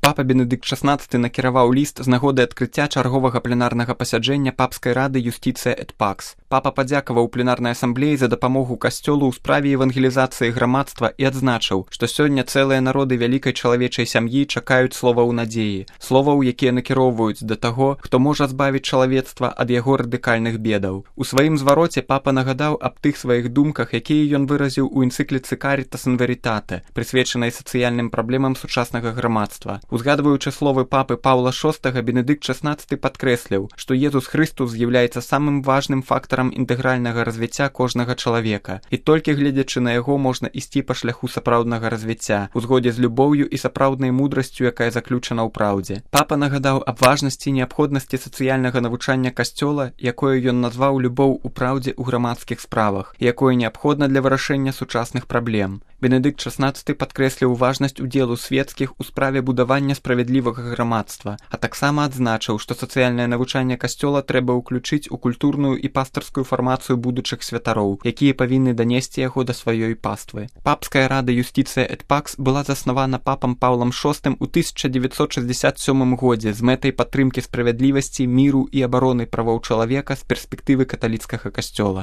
Папа Бенедыкт XVI накіраваў ліст з нагоды адкрыцця чарговага пленарнага пасяджэння папскай рады Юстиция et Pax. Папа падзякаваў пленарнай асамблеі за дапамогу касцёлу ў справе евангелізацыі грамадства і адзначыў, што сёння цэлыя народы вялікай чалавечай сям'і чакаюць словаў надзеі, словаў, якія накіроўваюць да таго, хто можа збавіць чалавецтва ад яго радыкальных бедаў. У сваім звароце папа нагадаў аб тых сваіх думках, якія ён выразіў у энцыкліцы Caritas in Veritate, прысвечанай сацыяльным праблемам сучаснага грамадства. Узгадваючы словы папы Паўла VI, Бенедыкт XVI падкрэсліў, што Езус Хрыстус з'яўляецца самым важным фактарам інтэгральнага развіцця кожнага чалавека, і толькі гледзячы на яго можна ісці па шляху сапраўднага развіцця, у згодзе з любоўю і сапраўднай мудрасцю, якая заключана ў праўдзе. Папа нагадаў аб важнасці і неабходнасці сацыяльнага навучання касцёла, якое ён назваў любоў у праўдзе ў грамадскіх справах, якое неабходна для вырашэння сучасных праблем. Бенедыкт XVI падкрэсліў важнасць удзелу свецкіх у справе будавання справядлівага грамадства, а таксама адзначыў, што сацыяльнае навучанне касцёла трэба ўключыць у культурную і пастырскую фармацыю будучых святароў, якія павінны данесці яго да сваёй паствы. Папская рада Юстиция et Pax была заснавана папам Паўлам VI у 1967 годзе з мэтай падтрымкі справядлівасці, міру і абароны правоў чалавека з перспектывы каталіцкага касцёла.